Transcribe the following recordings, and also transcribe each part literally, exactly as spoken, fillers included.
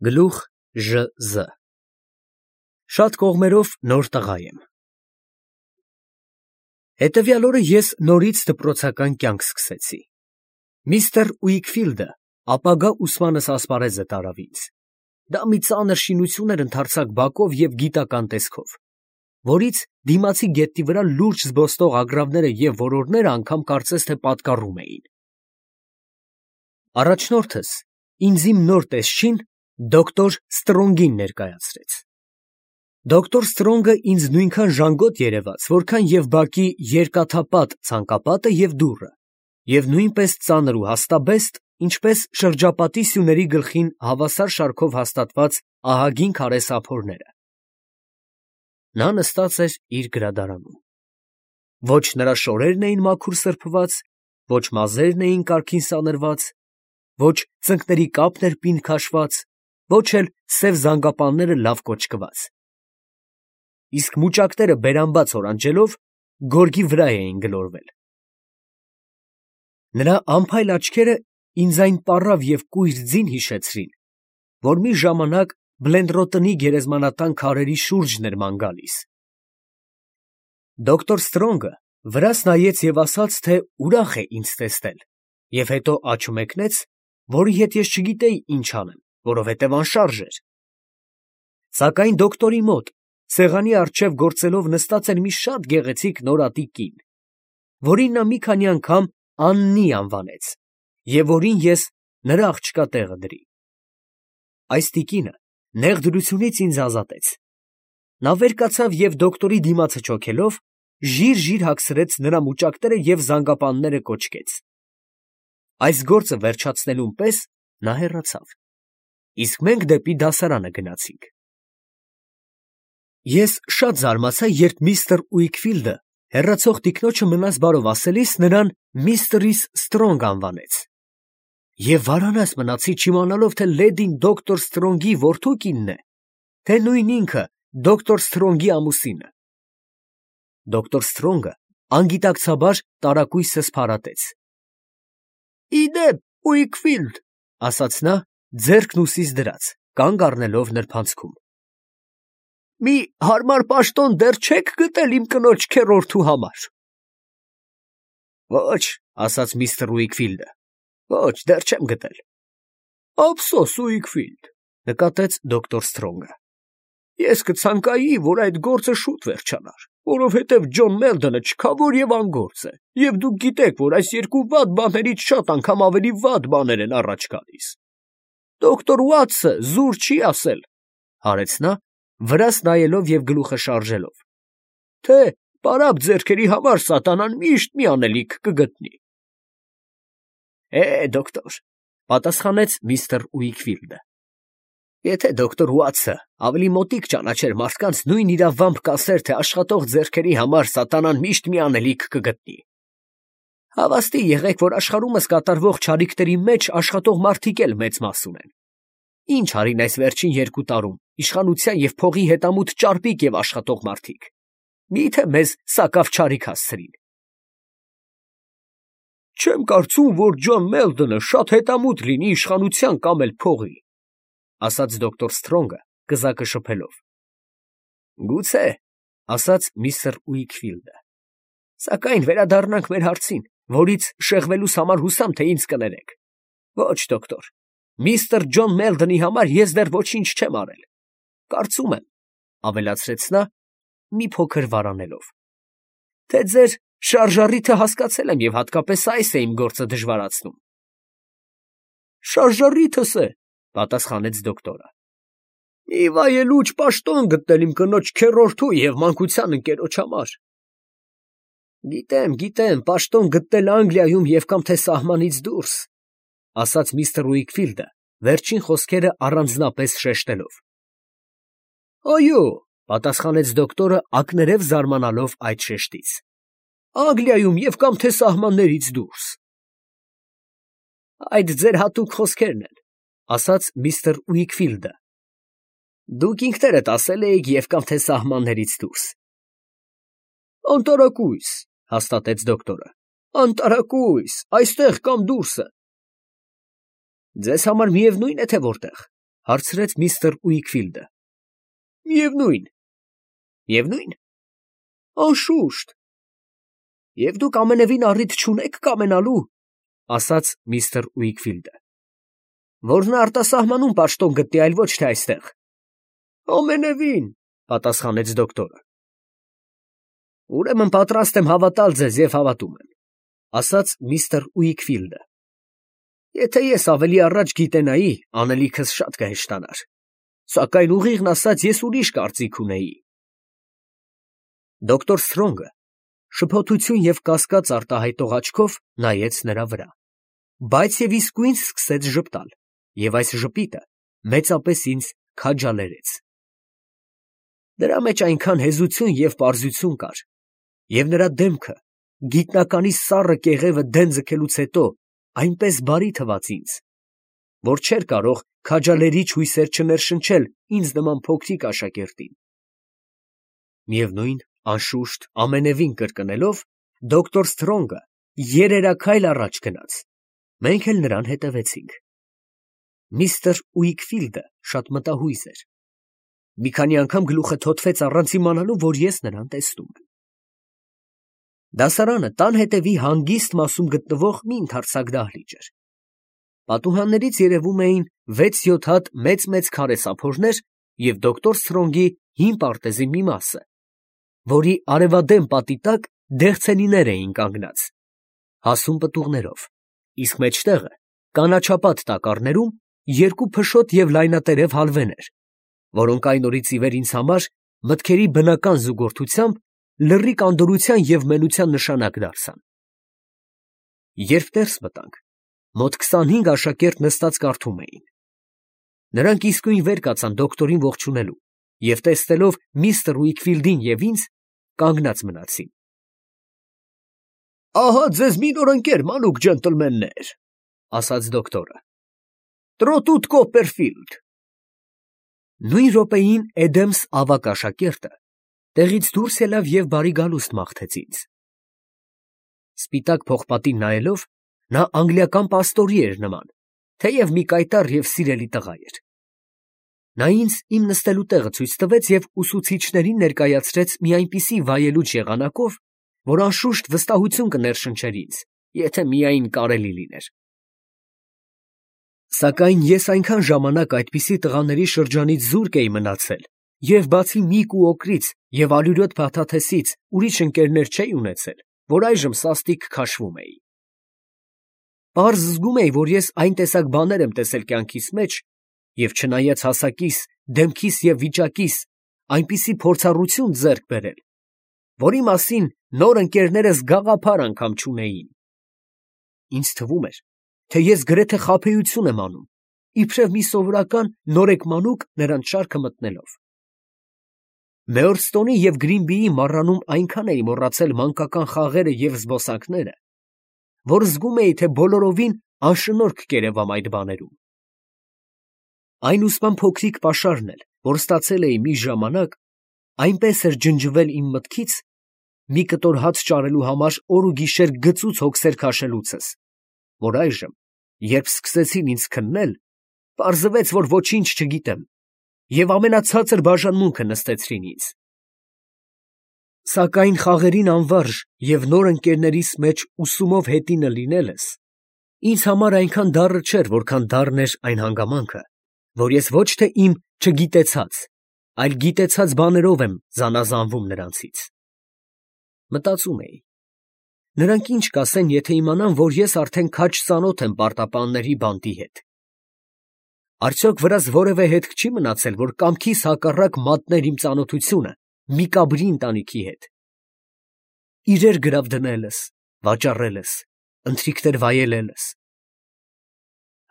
Գլուխ Ժ Զ Շատ կողմերով նոր տղա եմ։ Հետևյալ օրը ես նորից դպրոցական կյանք սկսեցի։ Միստր Ուիքֆիլդը ապագա ուսմանս ասպարեզը տարավ ինձ։ Դա մի ծանր շինություն էր ընդարձակ բակով և գիտական տեսքով, որից դիմացի գետնի վրա լուրջ զբոսնող ագռավները և որորները անգամ կարծես թե պատկառում էին։ Առաջնորդս ինձ իմ նոր տեսչին դոկտոր Ստրոնգին ներկայացրեց։ Դոկտոր Ստրոնգը ինձ նույնքան ժանգոտ երևաց, որքան և բակի երկաթապատ ցանկապատը և դուռը, և նույնպես ծանր ու հաստաբեստ, ինչպես շրջապատի սյուների գլխին հավասար շարքով հաստատված ահագին քարե սափորները։ Նա նստած էր իր գրադարանում։ Ոչ նրա շորերն էին մաքուր սրբված, ոչ մազերն էին կարգին սանրված, ոչ ծնկների կապն էր պինդ քաշված, ոչ էլ սև զանգապանները լավ կոճկված, իսկ մուճակները բերանբաց օրանջելով գորգի վրա էին գլորվել։ Նրա անփայլ աչքերը ինձ այն պառավ և կույր ձին հիշեցրին, որ մի ժամանակ Բլենդրոտնի գերեզմանատան քարերի շուրջն էր ման գալիս։ Դոկտոր Ստրոնգը վրաս նայեց և ասաց, թե ուրախ է ինձ տեսնել, և հետո աջ մեկնեց, որի հետ ես չգիտեի ինչ անեմ, որովհետև անշարժ էր։ Սակայն դոկտորի մոտ, սեղանի առջև գործելով նստած էր մի շատ գեղեցիկ նորատի կին, որին նա մի քանի անգամ Աննի անվանեց, և որին ես նրա աղջկա տեղը դրի։ Այս տիկինը նեղ դրությունից ինձ ազատեց։ Նա վեր կացավ և դոկտորի դիմացը չոքելով, ժիր֊ժիր հագցրեց նրա մուճակները և զանգապանները կոճկեց։ Այս գործը վերջացնելուն պես նա հեռացավ, իսկ մենք դեպի դասարանը գնացինք։ Ես շատ զարմացա, երբ միստր Ուիքֆիլդը հեռացող տիկնոջը մնաս բարով ասելիս նրան միստրիս Ստրոնգ անվանեց, և վարանաս մնացի չիմանալով, թե լեդին դոկտոր Ստրոնգի որդու կինն է, թե նույն ինքը դոկտոր Ստրոնգի ամուսինը։ Դոկտոր Ստրոնգը անգիտակցաբար տարակույսս փարատեց։ ֊ Ի դեպ, Ուիքֆիլդ, ֊ ասաց նա, ձեռքն ուսիս դրած, կանգ առնելով նրբանցքում, ֊ մի հարմար պաշտոն դեռ չե՞ք գտել իմ կնոջ քեռորդու համար։ ֊ Ոչ, ֊ ասաց միստր Ուիքֆիլդը, ֊ ոչ, դեռ չեմ գտել։ ֊ Ափսոս, Ուիքֆիլդ, ֊ նկատեց դոկտոր Ստրոնգը, ֊ ես կցանկայի, որ այդ գործը շուտ վերջանար, որովհետև Ջոն Մելդոնը չքավոր և անգործ է, և դուք գիտեք, որ այս երկու վատ բաներից շատ անգամ ավելի վատ բաներ են առաջ գալիս։ Դոկտոր Ուատսը զուր չի ասել, ֊ հարեց նա, վրաս նայելով և գլուխը շարժելով, ֊ թե պարապ ձեռքերի համար սատանան միշտ մի անելիք կգտնի։ ֊ Է, դոկտոր, ֊ պատասխանեց միստր Ուիքֆիլդը, ֊ եթե դոկտոր Ուատսը ավելի մոտիկ ճանաչեր մարդկանց, նույն իրավամբ կասեր, թե աշխատող ձեռքերի համար սատանան միշտ մի անելիք կգտնի։ Հավաստի եղեք, որ աշխարհումս կատարվող չարիքների մեջ աշխատող մարդիկ էլ մեծ մաս ունեն։ Ինչ արին այս վերջին երկու տարում իշխանության և փողի հետամուտ ճարպիկ և աշխատող մարդիկ, մի՞թե մեզ սակավ չարիք հասցրին։ ֊ Չեմ կարծում, որ Ջոն Մելդոնը շատ հետամուտ լինի իշխանության կամ էլ փողի, ֊ ասաց դոկտոր Ստրոնգը կզակը շփելով։ ֊ Գուցե, ֊ ասաց միստր Ուիքֆիլդը, ֊ սակայն վերադառնանք մեր հարցին, որից շեղվելուս համար հուսամ, թե ինձ կներեք։ Ոչ, դոկտոր, միստր Ջոն Մելդոնի համար ես դեռ ոչինչ չեմ արել։ Կարծում եմ, ֊ ավելացրեց նա, մի փոքր վարանելով, ֊ թե ձեր շարժառիթը հասկացել եմ և հատկապես այս է իմ գործը դժվարացնում։ ֊ Շարժառիթս է, ֊ պատասխանեց դոկտորը, ֊ մի վայելուչ պաշտոն գտնել իմ կնոջ քեռորդու և մանկության ընկերոջ համար։ ֊ Գիտեմ, գիտեմ, պաշտոն գտնել Անգլիայում և կամ թե սահմանից դուրս, ֊ ասաց միստր Ուիքֆիլդը, վերջին խոսքերը առանձնապես շեշտելով։ ֊ Այո, ֊ պատասխանեց դոկտորը, ակներև զարմանալով այդ շեշտից, ֊ Անգլիայում և կամ թե սահմաններից դուրս։ ֊ Այդ ձեր հատուկ խոսքերն են, ֊ ասաց միստր Ուիքֆիլդը, ֊ դուք ինքներդ ասել էիք և կամ թե սահմաններից դուրս։ ֊ Անտարակույս, ֊ հաստատեց դոկտորը, ֊ անտարակույս, այստեղ կամ դուրսը։ ֊ Ձեզ համար միևնույն է, թե որտեղ։ Հարցրեց միստր Ուիքֆիլդը։ Միևնույն։ Միևնույն։ Անշուշտ։ Եվ դուք ամենևին առիթ չունեք կամենալու, ասաց միստր Ուիքֆիլդը, որ նա արտասահմանում պաշտոն գտնի, այլ ոչ թե այստեղ։ Ամենևին, պատասխանեց դոկտորը։ Ուրեմն պատրաստ եմ հավատալ ձեզ և հավատում եմ, ասաց միստր Ուիքֆիլդը։ Եթե ես ավելի առաջ գիտենայի, անելիքս շատ կհեշտանար, սակայն ուղիղն ասած ես ուրիշ կարծիք ունեի։ Դոկտոր Սթրոնգը շփոթություն և կասկած արտահայտող աչքով նայեց նրա վրա, բայց և իսկույն սկսեց ժպտալ, և այս ժպիտը մեծապես ինձ քաջալերեց։ Դրա մեջ այնքան հեզություն և պարզություն կար, և նրա դեմքը, գիտնականի սառը կեղևը դեն ձգելուց հետո, այնպես բարի թվաց ինձ, որ չէր կարող քաջալերիչ հույսեր չներշնչել ինձ նման փոքրիկ աշակերտին։ Միևնույն, անշուշտ, ամենևին կրկնելով, դոկտոր Սթրոնգը երերաքայլ առաջ գնաց, մենք էլ նրան հետևեցինք։ Միստր Ուիքֆիլդը շատ մտահույզ էր։ Մի քանի անգամ գլուխը թոթվեց առանց իմանալու, որ ես նրան տեսնում եմ։ Դասարանը տան հետևի հանգիստ մասում գտնվող մի ընդարձակ դահլիճ էր։ Պատուհաններից երևում էին վեց֊յոթ հատ մեծ֊մեծ քարե սափորներ և դոկտոր Սթրոնգի հին պարտեզի մի մասը, որի արևադեմ պատի տակ դեղցենիներ էին կանգնած, հասուն պտուղներով, իսկ մեջտեղը կանաչապատ տակառներում երկու փշոտ և լայնատերև հալվեներ, որոնք այն օրից ի վեր ինձ համար մտքերի բնական զուգորդությամբ լռի կանդորության և մենության նշանակ դարձան։ Երբ ներս մտանք, մոտ քսանհինգ աշակերտ նստած կարդում էին։ Նրանք իսկույն վեր կացան դոկտորին ողջունելու և տեսնելով միստր Ուիքֆիլդին և ինձ, կանգնած մնացին։ Ահա ձեզ մի նոր ընկեր, մանուկ ջենտլմեններ, ասաց դոկտորը։ Տրոտուտ Կոպպերֆիլդ։ Նույն րոպեին Էդեմս ավագ աշակերտը տեղից դուրս ելավ և բարի գալուստ մաղթեց ինձ։ Սպիտակ փողպատին նայելով, նա անգլիական պաստորի էր նման, թեև մի կայտառ և սիրելի տղա էր։ Նա ինձ իմ նստելու տեղը ցույց տվեց և ուսուցիչներին ներկայացրեց մի այնպիսի վայելուչ եղանակով, որ անշուշտ վստահություն կներշնչեր ինձ, եթե միայն կարելի լիներ։ Սակայն ես այնքան ժամանակ այդպիսի տղաների շրջանից զուրկ էի մնացել և բացի Միկ ու Օկրից և ալյուրոտ Փաթաթեսից ուրիշ ընկերներ չէի ունեցել, որ այժմ սաստիկ քաշվում էի։ Պարզ զգում էի, որ ես այն տեսակ բաներ եմ տեսել կյանքիս մեջ և չնայած հասակիս, դեմքիս և վիճակիս այնպիսի փորձառություն ձեռք բերել, որի մասին նոր ընկերներս գաղափար անգամ չունեին։ Ինձ թվում էր, թե ես գրեթե խաբեություն եմ անում, իբրև մի սովորական նորեկ մանուկ նրանց շարքը մտնելով։ Մեյորստոնի և Գրինբիի մառանում այնքան էի մոռացել մանկական խաղերը և զբոսանքները, որ զգում էի, թե բոլորովին անշնորհք կերևամ այդ բաներում։ Այն ուսման փոքրիկ պաշարն էլ, որ ստացել էի մի ժամանակ, այնպես էր ջնջվել իմ մտքից, մի կտոր հաց ճարելու համար օր ու գիշեր գծուծ հոգսեր քաշելուցս, որ այժմ, երբ սկսեցին ինձ քննել, պարզվեց, որ ոչինչ չգիտեմ, և ամենացածր բաժանմունքը նստեցրին ինձ։ Սակայն խաղերին անվարժ և նոր ընկերներիս մեջ ուսումով հետինը լինելս ինձ համար այնքան դառը չէր, որքան դառն էր այն հանգամանքը, որ ես ոչ թե իմ չգիտեցած, այլ գիտեցած բաներով եմ զանազանվում նրանցից։ Մտածում էի. նրանք ինչ կասեն, եթե իմանան, որ ես արդեն քաջ ծանոթ եմ պարտապանների բանտի հետ։ Արդյոք վրաս որևէ հետք չի մնացել, որ կամքիս հակառակ մատներ իմ ծանոթությունը Միկաբրի ընտանիքի հետ։ Իրեր գրավ դնելս, վաճառելս, ընթրիքներ վայելելս։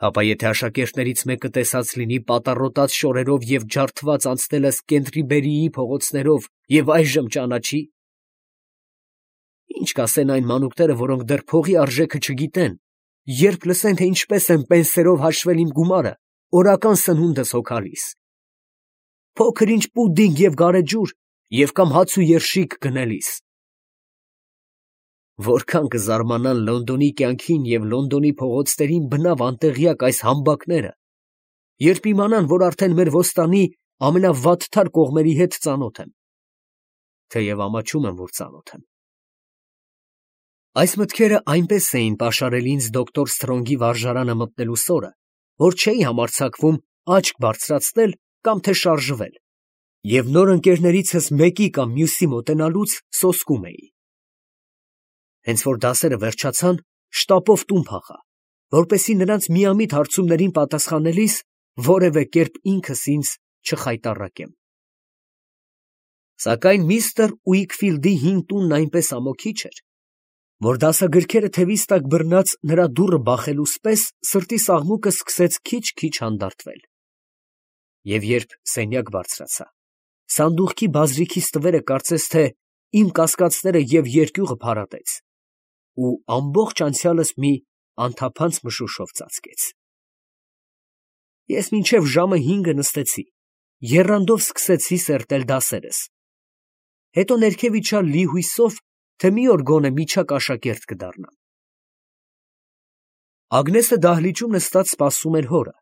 Հապա եթե աշակերտներից մեկը տեսած լինի պատառոտած շորերով և ջարդված անցնելս Կենտրիբերիի փողոցներով և այժմ ճանաչի։ Ինչ կասեն այն մանուկները, որոնք դեռ փողի արժեքը չգիտեն, երբ լսեն, թե ինչպես եմ պենսերով հաշվել իմ գումարը օրական սնունդս հոգալիս։ Փոքր ինչ պուդինգ և գարեջուր և կամ հաց ու երշիկ գնելիս։ Որքան կզարմանան Լոնդոնի կյանքին և Լոնդոնի փողոցներին բնավ անտեղյակ այս համբակները, երբ իմանան, որ արդեն մեր ոստանի ամենավատթար կողմերի հետ ծանոթ եմ, թեև ամաչում եմ, որ ծանոթ եմ։ Այս մտքերը այնպես էին պաշարել ինձ դոկտոր Սթրոնգի վարժարանը մտնելուս օրը, որ չէի համարձակվում աչք բարձրացնել կամ թե շարժվել, և նոր ընկերներիցս մեկի կամ մյուսի մոտենալուց սոսկում էի։ Հենց որ դասերը վերջացան, շտապով տուն փախա, որպեսզի նրանց միամիտ հարցումներին պատասխանելիս որևէ կերպ ինքս ինձ չխայտառակեմ։ Սակայն միստր Ուիքֆիլդի հին տունն այնպես ամոթի էր, որ դասագրքերը թևիս տակ բռնած նրա դուռը բախելուս պես սրտիս աղմուկը սկսեց քիչ-քիչ հանդարտվել։ Եվ երբ սենյակ բարձրացա, սանդուղքի բազրիքից տվերը կարծես թե իմ կասկածները և երկյուղը փարատեց, ու ամբողջ անցյալս մի անթափանց մշուշով ծածկեց։ Ես մինչև ժամը հինգը նստեցի, եռանդով սկսեցի սերտել դասերս, հետո ներքև իջա լի հույսով, թե մի օր գոնե միջակ աշակերտ կդառնամ։ Ագնեսը դահլիճում նստած սպասում էր հորը,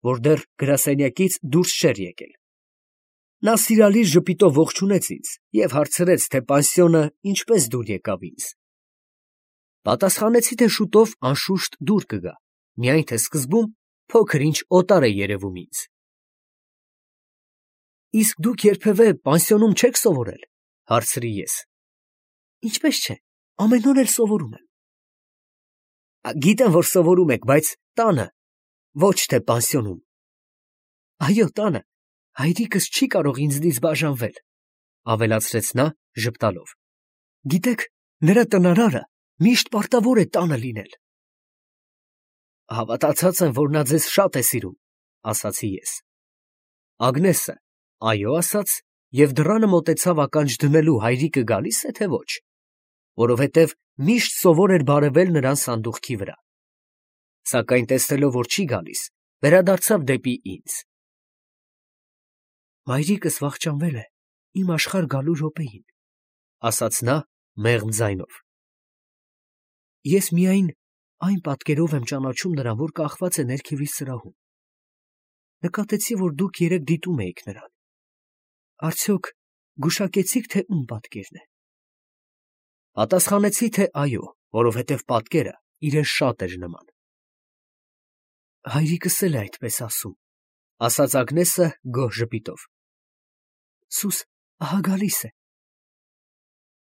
որ դեռ գրասենյակից դուրս չէր եկել։ Նա սիրալիր ժպիտով ողջունեց ինձ և հարցրեց, թե պանսիոնը ինչպես դուր եկավ ինձ։ Պատասխանեցի, թե շուտով անշուշտ դուր կգա, միայն թե սկզբում փոքր ինչ օտար է երևում ինձ։ Իսկ դուք երբևէ պանսիոնում չեք սովորել, հարցրի ես։ Ինչպես չէ, ամեն օր էլ սովորում եմ։ Գիտեմ, որ սովորում եք, բայց տանը, ոչ թե պանսիոնում։ Այո, տանը, հայրիկս չի կարող ինձնից բաժանվել, ավելացրեց նա ժպտալով։ Գիտեք, նրա տնարարը միշտ պարտավոր է տանը լինել։ Հավատացած եմ, որ նա ձեզ շատ է սիրում, ասացի ես։ Ագնեսը այո ասաց և դռանը մոտեցավ ականջ դնելու հայրիկը գալի՞ս է, թե ոչ, որովհետև միշտ սովոր էր բարևել նրան սանդուղքի վրա։ Սակայն տեսնելով, որ չի գալիս, վերադարձավ դեպի ինձ։ Մայրիկս վախճանվել է իմ աշխարհ գալու րոպեին, ասաց նա մեղմ ձայնով։ Ես միայն այն պատկերով եմ ճանաչում նրան, որ կախված է ներքևի սրահում։ Նկատեցի, որ դուք երեկ դիտում էիք նրան։ Արդյոք գուշակեցիք, թե ում պատկերն է։ Պատասխանեցի, թե այո, որովհետև պատկերը իրեն շատ էր նման։ Հայրիկս էլ է այդպես ասում, ասաց Ագնեսը գոհ ժպիտով։ Սուս, ահա գալիս է։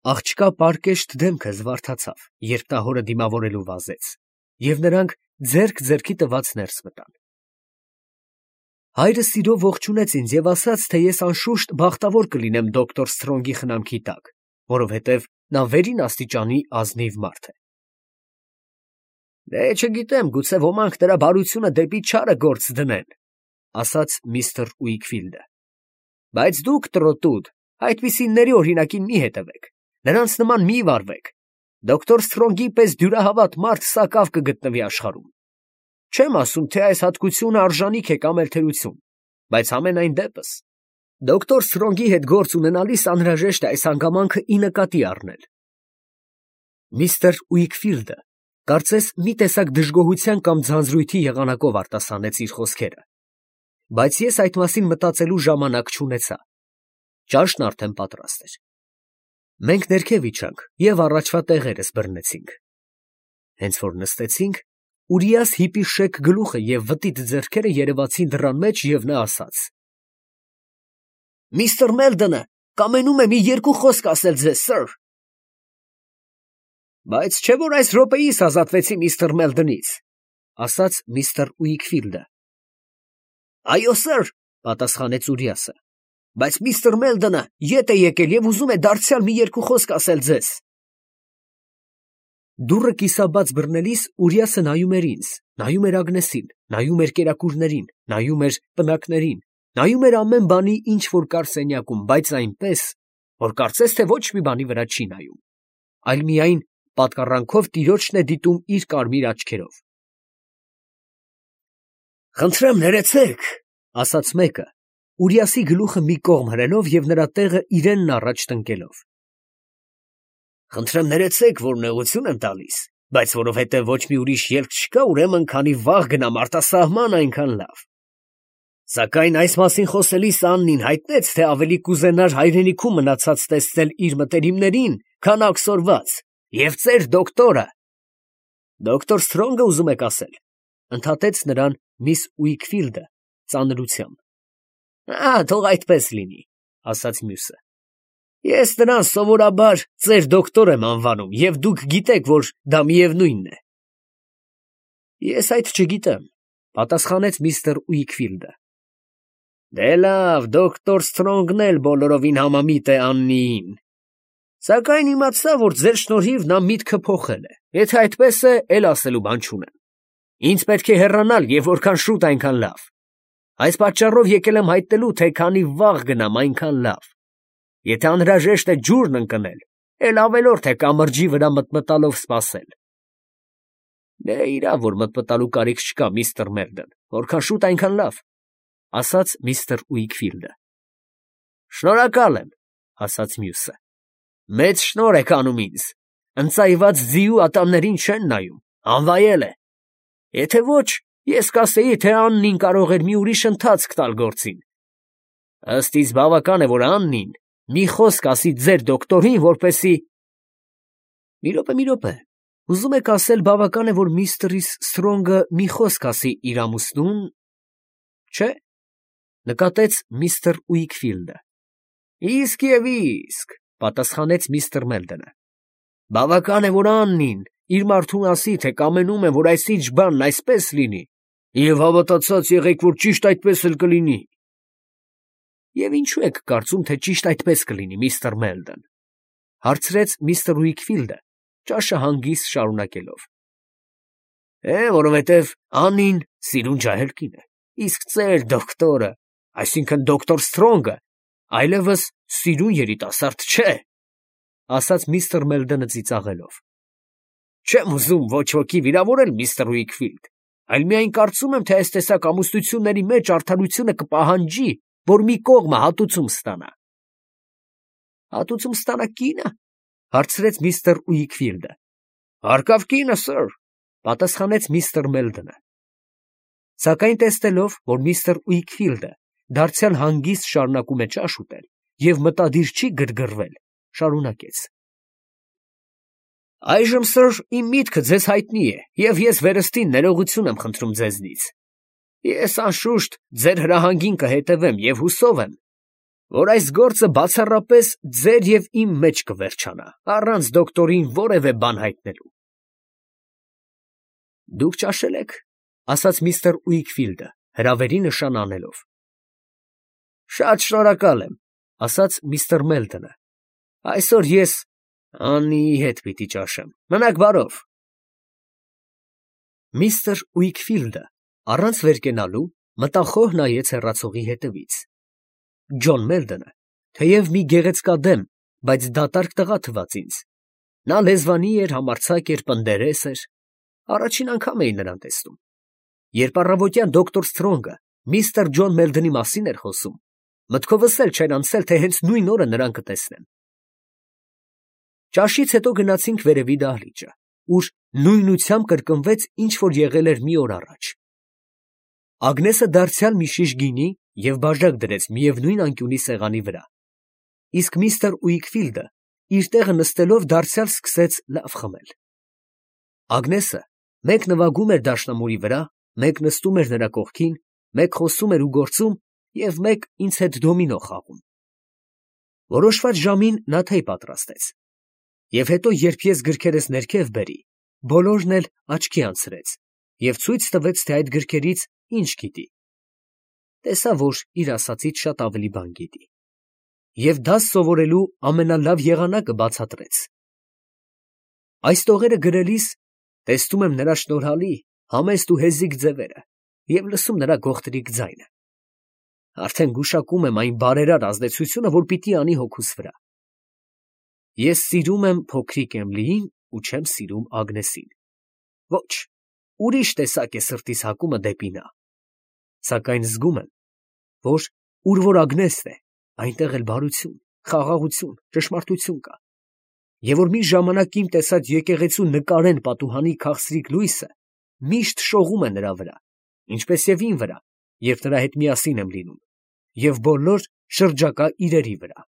Աղջկա պարկեշտ դեմքը զվարթացավ, երբ նա հորը դիմավորելու վազեց, և նրանք ձեռք ձեռքի տված ներս մտան։ Հայրը սիրով ողջունեց ինձ և ասաց, թե ես անշուշտ բախտավոր կլինեմ դոկտոր Սթրոնգի խնամքի տակ, որովհետև նա վերին աստիճանի ազնիվ մարդ է։ Դե չգիտեմ, գուցե ոմանք նրա բարությունը դեպի չարը գործ դնեն, ասաց միստր Ուիքֆիլդը։ Բայց դուք, տրոտուդ, այդպիսիների օրինակին մի հետևեք, նրանց նման մի վարվեք։ Դոկտոր Սթրոնգի պես դյուրահավատ մարդ սակավ կգտնվի աշխարհում։ Չեմ ասում, թե այս հատկությունը արժանիք է կամ էլ թերություն, բայց համենայն դեպս դոկտոր Սթրոնգի հետ գործ ունենալիս անհրաժեշտ է այս հանգամանքը ի նկատի առնել։ Միստր Ուիքֆիլդը կարծես մի տեսակ դժգոհության կամ ձանձրույթի եղանակով արտասանեց իր խոսքերը, բայց ես այդ մասին մտածելու ժամանակ չունեցա։ Ճաշն արդեն պատրաստ էր։ Մենք ներքև իջանք և առաջվա տեղերս բռնեցինք։ Հենց որ նստեցինք, Ուրիաս հիպի շեք գլուխը և վտիտ ձեռքերը երևացին դռան մեջ, և նա ասաց. Միստր Մելդոնը կամենում է մի երկու խոսք ասել ձեզ, սըր։ Բայց չէ՞ որ այս րոպեիս ազատվեցի միստր Մելդոնից, ասաց միստր Ուիքֆիլդը։ Այո, սըր, պատասխանեց Ուրիասը, բայց միստր Մելդոնը ետ է եկել և ուզում է դարձյալ մի երկու խոսք ասել ձեզ։ Դուռը կիսաբաց բռնելիս Ուրիասը նայում էր ինձ, նայում էր Ագնեսին, նայում էր կերակուրներին, նայում էր պնակներին, նայում էր ամեն բանի, ինչ որ կար սենյակում, բայց այնպես, որ կարծես թե ոչ մի բանի վրա չի նայում, այլ միայն պատկառանքով տիրոջն է դիտում իր կարմիր աչքերով։ Խնդրեմ ներեցեք, ասաց մեկը, Ուրիասի գլուխը մի կողմ հրելով և նրա տեղը իրենն առաջ տնկելով։ Խնդրեմ ներեցեք, որ նեղություն եմ տալիս, բայց որովհետև ոչ մի ուրիշ ելք չկա, ուրեմն քանի վաղ գնամ արտասահման, այնքան լավ։ Սակայն այս մասին խոսելիս Աննին հայտնեց, թե ավելի կուզենար հայրենիքում մնացած տեսնել իր մտերիմներին, քան աքսորված, և ծեր դոկտորը։ Դոկտոր Սթրոնգը ուզում եք ասել, ընդհատեց նրան միս Ուիքֆիլդը ծանրությամբ։ Ա, թող այդպես լինի, ասաց մյուսը։ Ես նրան սովորաբար ծեր դոկտոր եմ անվանում, և դուք գիտեք, որ դա միևնույնն է։ Ես այդ չգիտեմ, պատասխանեց միստր Ուիքֆիլդը։ Դե լավ, դոկտոր Սթրոնգն էլ բոլորովին համամիտ է Աննիին։ Սակայն իմացա, որ ձեր շնորհիվ նա միտքը փոխել է։ Եթե այդպես է, էլ ասելու բան չունեմ։ Ինձ պետք է հեռանալ, և որքան շուտ, այնքան լավ։ Այս պատճառով եկել եմ հայտնելու, թե քանի վաղ գնամ, այնքան լավ։ Եթե անհրաժեշտ է ջուրն ընկնել, էլ ավելորդ է կամրջի վրա մտմտալով սպասել։ Դե իրավ, որ մտմտալու կարիք չկա, միստր Մելդոն, որքան շուտ, այնքան լավ, ասաց միստր Ուիքֆիլդը։ Շնորհակալ եմ, ասաց մյուսը։ Մեծ շնորհ եք անում ինձ։ Ընծայված ձիու ատամներին չեն նայում, անվայել է։ Եթե ոչ, ես կասեի, թե Աննին կարող էր մի ուրիշ ընթացք տալ գործին։ Ըստ իս բավական է, որ Աննին մի խոսք ասի ձեր դոկտորին, որպեսի… Մի րոպե, մի րոպե, ուզում եք ասել, բավական է, որ միստր Սթրոնգը մի խոսք ասի իր ամուսնուն… Չէ՞, նկատեց միստր Ուիքֆիլդը։ Իսկ և իսկ, պատասխանեց միստր Մելդոնը։ Բավական է, որ Աննին իր մարդուն ասի, թե կամենում է, որ այսինչ բանն այսպես լինի, և հավատացած եղեք, որ ճիշտ այդպես էլ կլինի։ Եվ ինչու եք կարծում, թե ճիշտ այդպես կլինի, միստր Մելդոն, հարցրեց միստր Ուիքֆիլդը, ճաշը հանգիստ շարունակելով։ Է, որովհետև Աննին սիրուն ջահել կին է, իսկ ծեր դոկտորը, այսինքն դոկտոր Սթրոնգը, այլևս սիրուն երիտասարդ չէ, ասաց միստր Մելդոնը ծիծաղելով։ Չեմ ուզում ոչ ոքի վիրավորել, միստր Ուիքֆիլդ, այլ միայն կարծում եմ, թե այս տեսակ ամուսնությունների մեջ արդարությունը կպահանջի, որ մի կողմը հատուցում ստանա։ Հատուցում ստանա կինը, հարցրեց միստր Ուիքֆիլդը։ Հարկավ կինը, սըր, պատասխանեց միստր Մելդոնը։ Սակայն տեսնելով, որ միստր Ուիքֆիլդը դարձյալ հանգիստ շարունակում է ճաշ ուտել և մտադիր չի գրգռվել, շարունակեց. Այժմ, սըր, իմ միտքը ձեզ հայտնի է, և ես վերստին ներողություն եմ խնդրում ձեզնից։ Ես անշուշտ ձեր հրահանգին կհետևեմ և հուսով եմ, որ այս գործը բացառապես ձեր և իմ մեջ կվերջանա, առանց դոկտորին որևէ բան հայտնելու։ Դուք ճաշել եք, ասաց միստր Ուիքֆիլդը, հրավերի նշան անելով։ Շատ շնորհակալ եմ, ասաց միստր Մելդոնը։ Այսօր ես Աննիի հետ պիտի ճաշեմ։ Մնաք բարով։ Միստր Ուիքֆիլդը առանց վերկենալու մտախոհ նայեց հեռացողի հետևից։ Ջոն Մելդոնը, թեև մի գեղեցկադեմ, բայց դատարկ տղա թվաց ինձ։ Նա լեզվանի էր, համարձակ էր, պնդերես էր։ Առաջին անգամ էի նրան տեսնում։ Երբ առավոտյան դոկտոր Սթրոնգը միստր Ջոն Մելդոնի մասին էր խոսում, մտքովս էլ չէր անցել, թե հենց նույն օրը նրան կտեսնեմ։ Ճաշից հետո գնացինք վերևի դահլիճը, ուր նույնությամբ կրկնվեց, ինչ որ եղել էր մի օր առաջ։ Ագնեսը դարձյալ մի շիշ գինի և բաժակ դրեց միևնույն անկյունի սեղանի վրա, իսկ միստր Ուիքֆիլդը իր տեղը նստելով դարձյալ սկսեց լավ խմել։ Ագնեսը մեկ նվագում էր դաշնամուրի վրա, մեկ նստում էր նրա կողքին, մեկ խոսում էր ու գործում և մեկ ինձ հետ դոմինո խաղում։ Որոշված ժամին նա թեյ պատրաստեց։ Եվ հետո, երբ ես գրքերս ներքև բերի, բոլորն էլ աչքի անցրեց և ցույց տվեց, թե այդ գրքերից ինչ գիտի։ Տեսա, որ իր ասածից շատ ավելի բան գիտի։ Եվ դաս սովորելու ամենալավ եղանակը բացատրեց։ Այս տողերը գրելիս տեսնում եմ նրա շնորհալի, համեստ ու հեզիկ ձևերը և լսում նրա գողտրիկ ձայնը։ Արդեն գուշակում եմ այն բարերար ազդեցությունը, որ պիտի անի հոգուս վրա։ Ես սիրում եմ փոքրիկ Էմլիին ու չեմ սիրում Ագնեսին։ Ոչ, ուրիշ տեսակ է սրտիս հակումը դեպի նա։ Սակայն զգում եմ, որ ուր որ Ագնեսն է, այնտեղ էլ բարություն, խաղաղություն, ճշմարտություն կա, և որ մի ժամանակ իմ տեսած եկեղեցու նկարեն պատուհանի քաղցրիկ լույսը միշտ շողում է նրա վրա, ինչպես և իմ վրա, և նրա հետ միասին եմ լինում, և բոլոր շրջակա իրերի վրա։